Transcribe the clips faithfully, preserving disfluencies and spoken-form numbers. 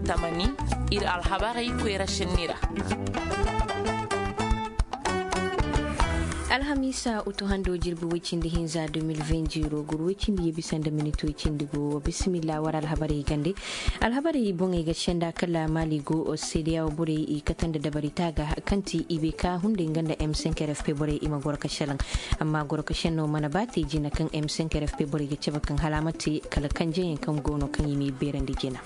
Tamani, iri alhabarey koyra senni ra. Alhamiisa, utu hando jirbi way cindi hinza deux mille vingt ziro guru way cindi ye bisa nda minit way cindi go. Bisimilla, war alhabarey gande. Alhabarey boŋey ga senda kala Mali go, seedeya wo borey i kate nda dabari taaga kaŋ ti i bay ka hunday nga nda M cinq R F P borey i ma goro ka selaŋ. Amma goro ka senno mana ba te jina kaŋ M cinq R F P borey ga cabe kaŋ hala a ma te kala kanjeyaŋ kaŋ go no kaŋ i m'i beerandi jina.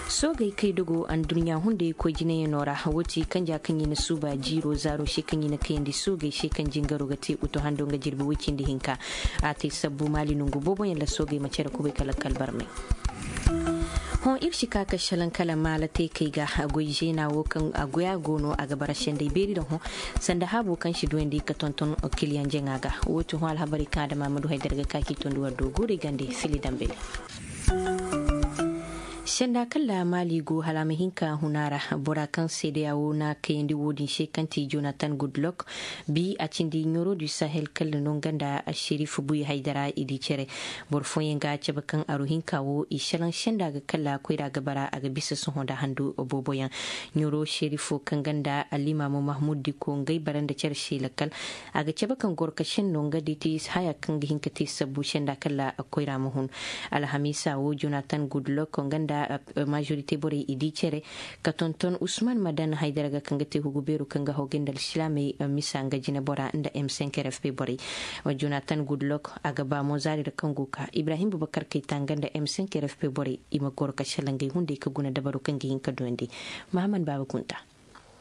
Soogey kay dogo anduɲɲa hunday koy jinayaŋo ra, wo ti kanja kaŋ i na suuba jiiro zaaro se kaŋ i na kayandi soogey se kaŋ jingaro ga te utu hando nga jirbi way cindi hinka. A te sabbu Mali nongu boobo yaŋ ra soogey ma care kubay kala kala barmay. Hõ iri si ka ka selaŋ kala maala te kay ga goy zeena wo kaŋ a goya go no a ga bara senday beeri ra hõ sanda haabo kaŋ si duwandi ka tonton kiliyaŋ jaŋa ga. Wo ti hõ alhabarey kaŋ adama ma du haydara ga ka k'i tondi war do guurey gande fili dambali. Senda kala Mali go hala a ma hin ka huna ra, bora kaŋ seedeya wo na kayandi wo-din se kaŋ ti Jonathan Goodluck, bi a cindi Ɲoro du Sahel kala no nga nda Sherif Buy Haydara i di care. Boro fooyaŋ ga cabe kaŋ aro hinka wo i selaŋ senda ga kala koyra ga bara a ga bisa sohõ nda handu boobo yaŋ. Ɲoro Sherif kaŋ ganda Alimaamo Mahmud Diko ngey bara nda care se lakkal. A ga cabe kaŋ goro ka senno nga di ti haya kaŋ ga hin ka te sabbu senda kala koyra ma hun. Alhamiisa wo Jonathan Goodluck nga nda majorité borey i di care ka tonton Usman Madan Haydara ga kaŋ ga te hugu beero kaŋ ga hawgay nda alsilaamey misa nga jine bora nda M cinq R F P borey. Jonathan Goodluck a ga ba mo zaari ra kaŋ go ka Ibrahim Bubakar Kayta nga nda M cinq R F P borey i ma goro ka selaŋ ngey hunday ka guna dabaro kaŋ ga hin ka duwandi. Mahaman Baaba Kunta.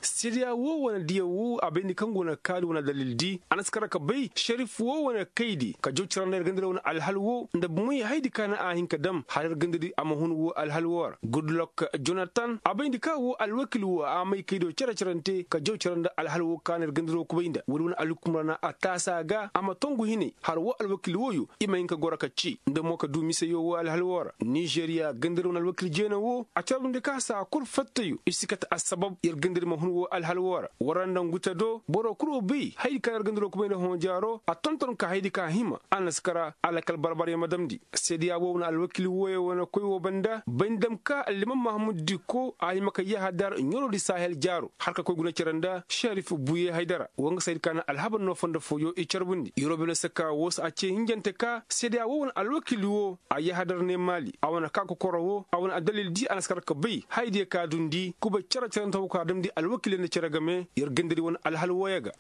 Seedeya wo wane diyaŋ wo a bayndi kaŋ go na kaari wane dalil di a na si kara ka bay Sharif wo wane kaydi ka jaw caranda iri ganda iri wane alhal wo nda bumey haydi ka na a hin ka dam hala iri ganda iri a ma hun wo alhal wo ra. Goodluck Jonathan a bayndi ka wo alwakil wo a may kaydo care carante ka jaw caranda alhal wo ka na iri ganda iri wo kubay nda wo-din wane alhukum ra na a taasa ga a ma tongu hinay hala wo alwakil wo yo i ma hin ka goro ka ci nda mo ka du misayo wo alhal wo ra. Nizeeriya ganda iri wane alwakil jeena wo a carbundi ka saa kulu fattayo i si kate assabab iri ganda iri ma hun wo alhal wo ra. War nda nguta do boro kulu wo bay haydi ka na iri ganda iri wo kubay nda hõ jaaro a tonton ka haydi ka hima a na si kara alakal barbaryaŋ ma damndi. Seedeya wo wane alwakil wooyaŋ wane koy wo banda bay ni dam ka alliman mahamud dikko a hima ka yahadar ɲoro di sahel jaaro hala ka koy guna care nda sharif buye haydara wo nga saydi ka na alhabar no fondo fooyo i carbundi yorobe no saka wo se a ce hinjante ka seedeya wo wane alwakil wo a yahadar ne maali a wane ka kokoro wo a wane addalil di a na si kara ka bay haydiya ka dundi kubay care carante wo ka damndi alwakil nda care game yer ganda di wane alhal wooyaŋ ga.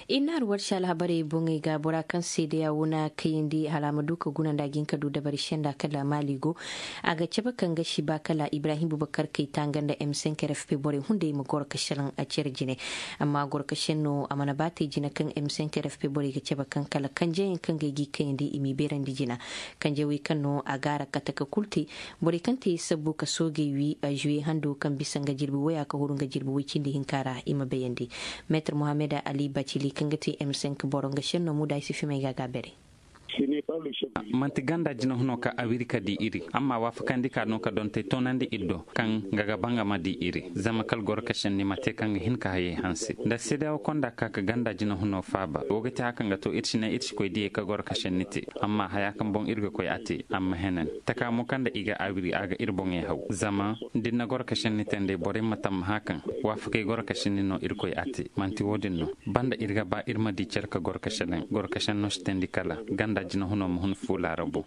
I na hari warsi alhabarey boŋey ga bora kaŋ seedeya wo na kayandi hala a ma du ka guna nda a ga hin ka du dabari senda kala maali go. A ga cabe kaŋ ga si ba kala ibrahim bubakar kayta nga nda m cinq r f p borey hunday ma goro ka selaŋ a care jine. Amma goro ka senno a mana ba te jine kaŋ m cinq r f p borey ga cabe kaŋ kala kanjeyaŋ kaŋ ga ay g'i kayandi i m'i beerandi jina. Kanjawey kaŋ no a gaara kate ka kulu te. Borey kaŋ te sabbu ka soogey wi a juwe hando kaŋ bisa nga jirbi waya ka huru nga jirbi way cindi hinka ra i ma bayandi. Meetar mohammed ali bacili kaŋ ga te m cinq boro nga senno muda ay si fimay ga ga bere. Manti ganda jina huno ka a wiri ka di iri amma waafakandi ka no ka dontey toonandi iri do kaŋ nga ga ba nga ma di iri zama kala goro ka senni ma te kaŋ ga hin ka hayey hanse nda seedeyawo konda ka ka ganda jina huno faaba wo ga te haka nga to iri si ne iri si koy diyey ka goro ka senni te. Amma haya kaŋ boŋ iri ga koy a te a ma henen taka mo kaŋ nda i ga a wiri a ga iri boŋey haw zama da ni na goro ka senni te nd'ey borey ma tammaha kaŋ waafakey goro ka senni no irkoy a te manti wo- din no. Banda iri ga ba iri ma di care ka goro ka senen goro ka senno si teendi kala ganda jina huno ma hun fu laarabo.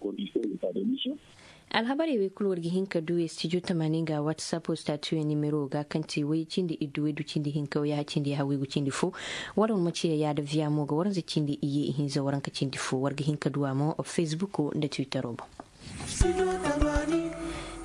Alhabarey wey kulu war ga hin ka du studio tamaani nga whatsapp statuyo nimero ga kaŋ ti way cindi iddu way du cindi hinka way ya cindi ya haway gu cindi fo. War war ma ci ya yaada viya mo ga waranza cindi iye ihinza waranka cindi fo war ga hin ka du a mo facebook nda twittero boŋ.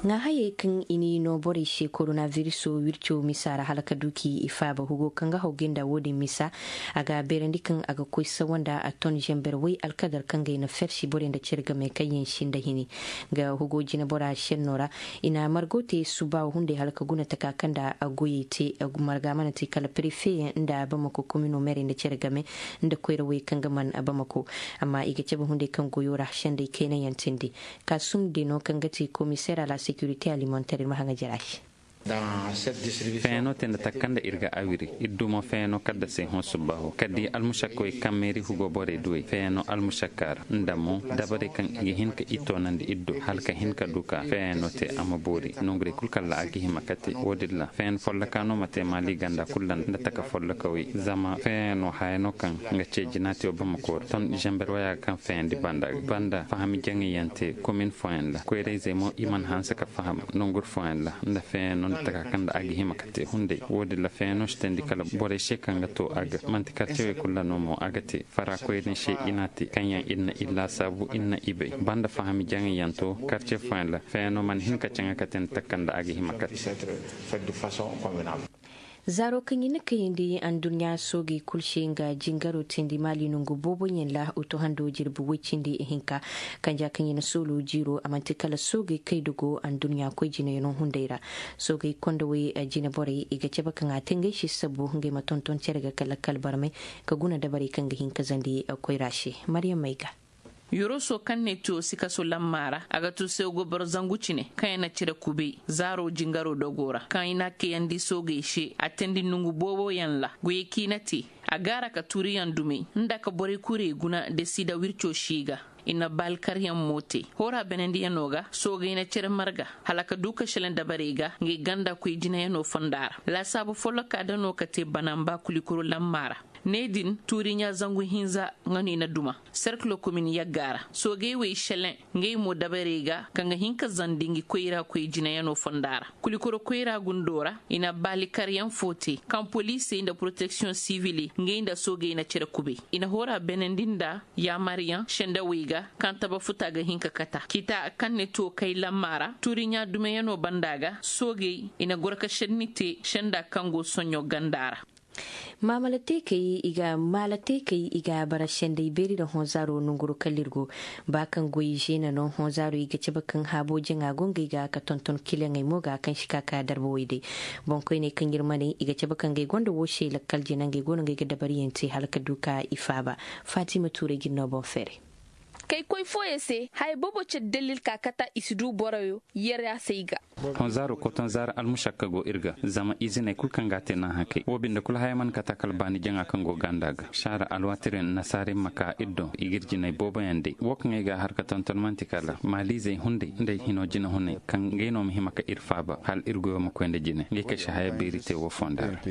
Ŋa hayey kaŋ i n'i no borey se koronaviruso wirco misa ra hala ka du k'i faaba hugo kaŋ ga hawgay nda wo-din misa. A ga beerandi kaŋ a ga koy sawa nda a ton zember way alkadar kaŋ gay na fersi borey nda care game kaŋ yaŋ sinda hini. Nga hugo jinabora senno ra i na margo te suba hunday hala ka guna taka kaŋ nda a goyey te. Marga mana te kala prefe yaŋ nda bamako komino merey nda care game nda koyrawey kaŋ ga man bamako. Amma i ga cabe hunday kaŋ goyo ra sendey kayna yaŋ tindi. Kasum deno kaŋ ga ti komiseer a la securité alimentaire iri ma haŋa jara se. Feeno te nda takka nda iri ga awiri iri dumo feeno kadda se hõ subbaho kaddi almusakkawey kaŋ meeri hugo borey duwey feeno almusakka ra nda mo dabarey kaŋ i ga hin ka i toonandi iri do hala ka hin ka du ka feeno te a ma boori nongurey kulu kalla a ga hima ka te wo-din ra feeno folloka no ma te maali ganda kulu ra nda taka follokawey zama feeno haya no kaŋ nga ce jina te wo bamako ra ton zamber waya ga kaŋ feendi banda ga banda fahami jaŋayyaŋ te komin fooyaŋ ra koyrayzey mo i mana hanse ka faham nongur fooyaŋ ra nda feeno nda taka kaŋ nda a ga hima ka te hunday wo-din ra feeno si teendi kala borey se kaŋ ga to a ga manti karcewey kulu ra no mo a ga te fara koyne se i n'a te kaŋ yaŋ iri na iri laasaabu iri na i bay banda fahami jaŋayyaŋ to karce fooyaŋ ra feeno mana hin ka caŋa ka te nda taka kaŋ nda a ga hima ka te. Zaaro kaŋ i na kayandi anduɲɲa soogey kulu se nga jingaro teendi maali nongu boobo yaŋ ra oto hando jirbi way cindi ihinka kanja kaŋ i na soolo jiiro a manti kala soogey kay da go anduɲɲa koy jinayaŋo hunday ra. Soogey kondowey jine borey i ga cabe kaŋ a te ngey se sabbu ngey ma tonton care ga kala kala barmay ka guna dabarey kaŋ ga hin ka zandi koyra se. Maryam may ga. Yoroso kaŋ ne tiyo sikaso lamma ra a ga to sewgo boro zangu cine kaŋ yaŋ na cire kubay zaaro jingaro dogo ra kaŋ i n'a kayandi soogey se a teendi nongu boobo yaŋ ra goyey kaŋ i na te a gaara ka tuuriyaŋ dumey nda ka borey kurey guna da si da wirco si ga i na baali karyaŋ mo te hoora beenandiyaŋo ga soogey na cere marga hala ka du ka selaŋ dabarey ga ngey ganda koy jinayaŋo fonda ra laasaabu folloka da no ka te banamba kulikoro lamma ra ne din tuuriɲa zangu hinza nga no i na duma serkilo komin yagga ra soogey wey selaŋ ngey mo dabarey ga kaŋ ga hin ka zandi ngi koyra koy jinayaŋo fonda ra kulikoro koyra gundo ra i na baali karyaŋ fo te kaŋ poliisey nda poroteksiyoŋ siwili ngey nda soogey na cere kubay i na hoora beenandi nda yaamaryaŋ sendawey ga kaŋ taba futa ga hin ka kata kita kaŋ ne to kay lamma ra tuuriɲa dumeyaŋo banda ga soogey i na goro ka senni te senda kaŋ go soɲo ganda ra. Maamala teekey i ga maala teekey i ga bara sendey beeri nda hõ zaaro nongoro kala iri go ba kaŋ goy zeena no hõ zaaro i ga cabe kaŋ haabo jaŋa go ngey ga ka tonton kilaŋey mo ga kaŋ si ka ka darba way day. Boŋkoyney kaŋ iri ma ne i ga cabe kaŋ ngey gonda wo se lakkal jina ngey go no ngey ga dabariyaŋ te hala ka du ka i faaba. Faatima tuurey ga iri no boŋ feeray. Kay koy fooyaŋ se haya boobo care dalil ka kata i si du boroyo yera se i ga. Honzaaro kotonzaara almusakka go iri ga zama iziney kulu kaŋ ga a te naŋ hakey wo binde kulu haya mana kata kala baani jaŋa kaŋ go ganda ga saara alwaati din nasaara iri ma ka iri do i ga iri jinay booboyaŋ day wo kaŋ ay ga a har ka tonton manti kala maaliizey hunday nda ay hino jinahunay kaŋ ngey no ma hima ka iri faaba hala iri goyo ma koy nda jine ngey kaŋ si haya beeri te wo fonda ra.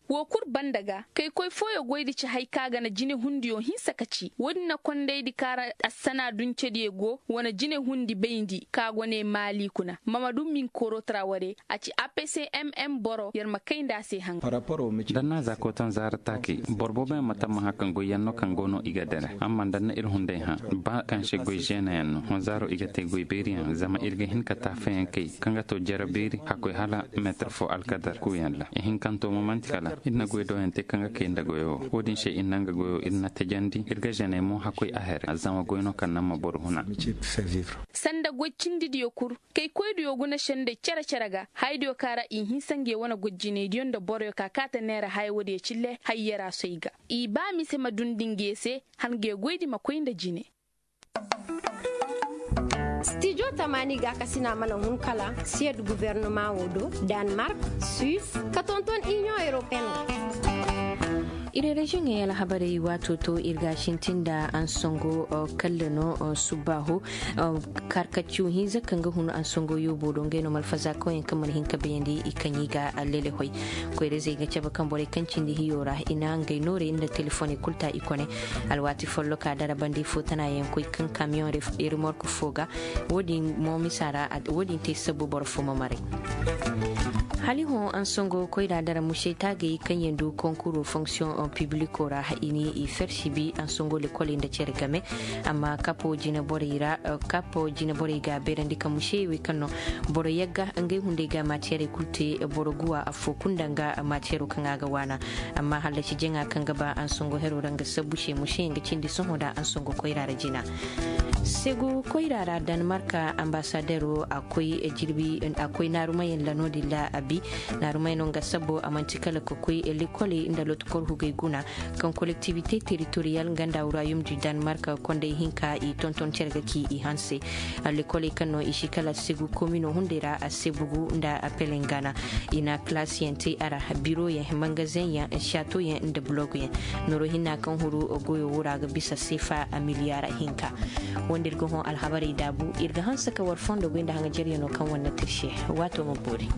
Wo kulu banda ga kay koy fooyaŋ goy da ci hari kaŋ a ga na jinehundiyo hinsa ka ci wo- din na kondaydi kaŋ ra assana duncediyo go wane jinehundi bayndi kaŋ a go ne maali kuna mamadu minkoro traware a ci apcmm boro yar ma kay nda a se haŋ. Danna za koton zaara taakey boro booboyaŋ ma tammaha kaŋ goyyaŋ no kaŋ go no i ga dere amma danna iri hunday hã ba kaŋ se goy zeenayaŋ no honzaaro i ga te goy beeriyaŋ zama iri ga hin ka taafayaŋ kay kaŋ ga to jere beeri hakkoy hala meetar fo alkadar kuuyaŋ ra ihinkanto mo manti kala iri na goy dooyaŋ te kaŋ ga kay nda goyo wo- din se iri na nga goyo iri na tajandi iri ga zeney mo hakkoy a here zama goy no kaŋ naŋ ma boro huna. Sanda goy cindi diyo kulu kay koy diyo guna sendey care care ga hari diyo kaŋ ra i hinsa ngey wane goy jiney diyo nda boroyo ka kaata neera haya wo- diyo cille hari yera soy ga i ba mise ma dundi ngey se hala ngey goy di ma koy nda jine. Stijo tamaani gaakasina mana hun kala siyed guvernama wo do, danmark, suis, ka tonton inion europeen ga. Iri reziyoŋey alhabarey waato to iri ga a sintin nda ansango kalle no subbaaho. Karkacu hinza kaŋ ga hun ansango yoobo do ngey no malfaza kaŋ yaŋ kaŋ mana hin ka bayandi i kaŋ i ga lele hoy. Koyra-izey ga cabe kaŋ borey kaŋ cindi hiyo ra i na ngey noorey nda telefoney kulu ta i kone. Alwaati folloka dara bandi fo tana yaŋ koy kaŋ kamiyoŋ remork fo ga wo- din mo misa ra wo- din te sabbu boro fo ma maray. Hali hõ ansango koyra dara musey taagey kaŋ yaŋ du konkuro fonksiyoŋ pibliko ra i ni i fersi bi ansango lekoley nda care game. Amma kapo jine borey ra kapo jine borey ga beerandi ka musey wey kaŋ no boro yagga ngey hunday ga matiyarey kulu te boro guwa afo kulu nda nga matiyaro kaŋ a ga waana. Amma hallasi jaŋa kaŋ ga ba ansango hero ra nga sabbu se musey nga cindi sohõ nda ansango koyra ra jina. Segu koyra ra danmarka ambasadero a koy jirbi a koy naarumayaŋ ra no- din ra. Bi naarumay no nga sabbo a manti kala ka koy lekoley nda loto korhugey guna, kaŋ kolektivite teritoriyal nga nda wurayum di danmark kondey hinka i tonton care ga ci i hanse. Lekoley kaŋ no i si kala segu komino hunday ra a sebugu nda a pelengana. I na kalasiyaŋ te a ra, biroyaŋ, mangazeŋyaŋ, satoyaŋ nda buloguyaŋ. Noro hinna kaŋ huru goyo wura ga bisa sefa a miliyara hinka. Wanda iri ga hõ alhabarey daabu iri ga hanse ka war fondo goy nda haŋajeryano kaŋ wanda tirse. Waato ma boori.